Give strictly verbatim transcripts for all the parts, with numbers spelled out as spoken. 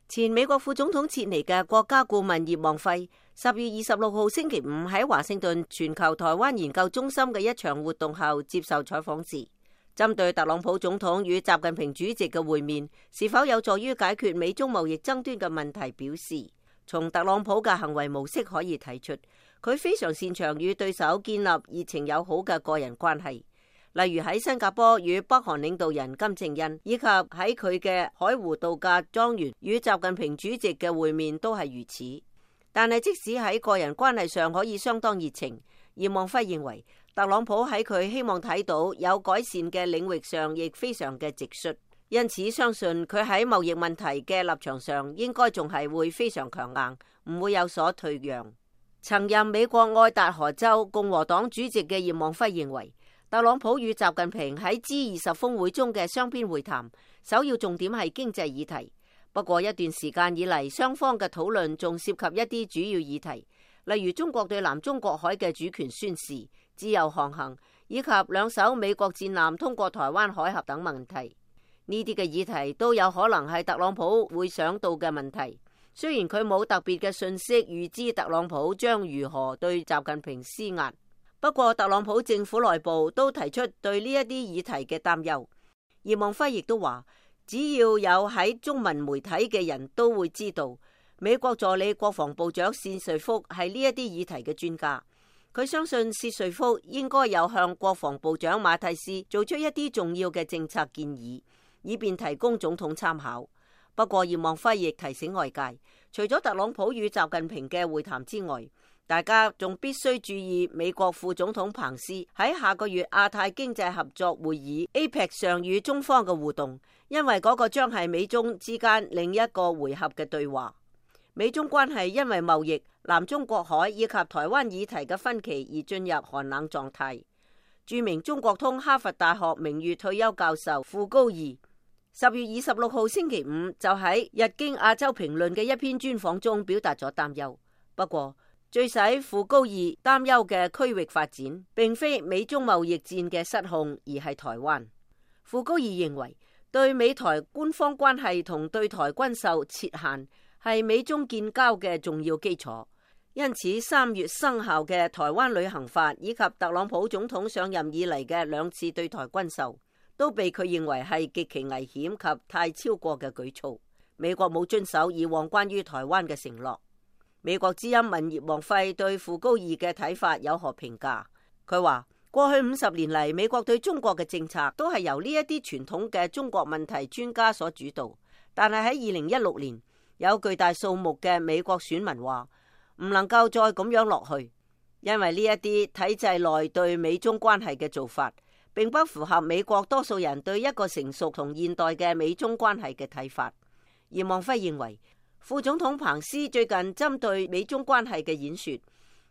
前美國副總統切尼嘅國家顧問葉望輝十月二十六號星期五喺華盛頓全球台灣研究中心嘅一場活動後接受採訪時，針對特朗普總統與習近平主席嘅會面是否有助於解決美中貿易爭端嘅問題，表示從特朗普嘅行為模式可以睇出，佢非常擅長與對手建立熱情友好嘅個人關係。例如喺新加坡與北韓領導人金正恩，以及喺佢嘅海湖度假莊園與習近平主席嘅會面都係如此。但係即使喺個人關係上可以相當熱情，葉望輝認為特朗普喺佢希望睇到有改善嘅領域上亦非常嘅直率，因此相信佢喺貿易問題嘅立場上應該仲係會非常強硬，唔會有所退讓。曾任美國愛達荷州共和黨主席嘅葉望輝認為，特朗普與習近平喺 G 二十峰會中嘅雙邊會談，首要重點係經濟議題。不過一段時間以嚟，雙方嘅討論仲涉及一啲主要議題，例如中國對南中國海嘅主權宣示、自由航行，以及兩艘美國戰艦通過台灣海峽等問題。呢啲嘅議題都有可能係特朗普會想到嘅問題。雖然佢冇特別嘅信息預知特朗普將如何對習近平施壓。不過特朗普政府內部都提出對呢一啲議題嘅擔憂。葉望輝亦都話，只要有喺中文媒體嘅人都會知道，美國助理國防部長薛瑞福係呢一啲議題嘅專家。佢相信薛瑞福應該有向國防部長馬蒂斯做出一啲重要嘅政策建議，以便提供總統參考。不過葉望輝亦提醒外界，除咗特朗普與習近平嘅會談之外，大家仲必須注意美國副總統彭斯喺下個月亞太經濟合作會議 A P E C 上與中方嘅互動，因為嗰個將係美中之間另一個回合嘅對話。美中關係因為貿易、南中國海以及台灣議題嘅分歧而進入寒冷狀態。著名中國通哈佛大學名譽退休教授傅高義十月二十六號星期五就喺日經亞洲評論嘅一篇專訪中表達咗擔憂。不過最使傅高義擔憂嘅區域發展，並非美中貿易戰嘅失控，而係台灣。傅高義認為，對美台官方關係同對台軍售設限係美中建交嘅重要基礎。因此，三月生效嘅台灣旅行法以及特朗普總統上任以嚟嘅兩次對台軍售，都被佢認為係極其危險及太超過嘅舉措。美國冇遵守以往關於台灣嘅承諾。美國之音問葉望輝對傅高義嘅睇法有何評價？佢話過去五十年嚟，美國對中國嘅政策都係由呢一啲傳統嘅中國問題專家所主導。但係喺二零一六年，有巨大數目嘅美國選民話唔能夠再咁樣落去，因為呢一啲體制內對美中關係嘅做法，並不符合美國多數人對一個成熟同現代嘅美中關係嘅睇法。葉望輝認為，副總統彭斯最近針對美中關係嘅演說，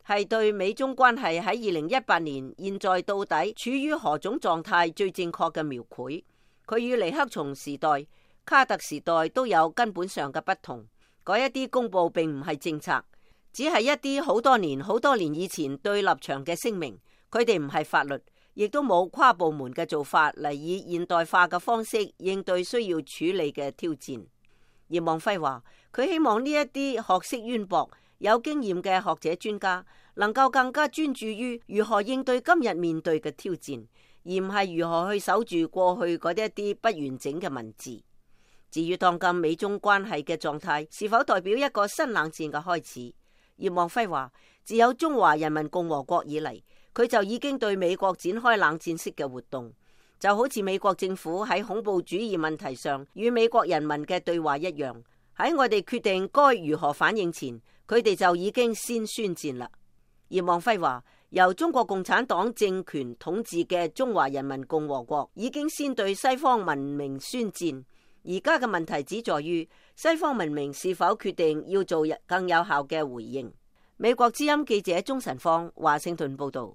係對美中關係喺二零一八年現在到底處於何種狀態最正確嘅描繪。佢與尼克松時代、卡特時代都有根本上嘅不同。嗰一啲公佈並唔係政策，只係一啲好多年、好多年以前對立場嘅聲明。佢哋唔係法律，亦都冇跨部門嘅做法嚟以現代化嘅方式應對需要處理嘅挑戰。葉望輝話，佢希望呢一啲學識淵博、有經驗嘅學者專家能夠更加專注於如何應對今日面對嘅挑戰，而唔係如何去守住過去嗰啲一啲不完整嘅文字。至於當今美中關係嘅狀態是否代表一個新冷戰嘅開始，葉望輝話，自有中華人民共和國以嚟，佢就已經對美國展開冷戰式嘅活動。就好似美國政府喺恐怖主義問題上與美國人民嘅對話一樣，喺我哋決定該如何反應前，佢哋就已經先宣戰啦。葉望輝話，由中國共產黨政權統治嘅中華人民共和國已經先對西方文明宣戰，而家嘅問題只在於西方文明是否決定要做更有效嘅回應。美國之音記者鍾晨芳華盛頓報道。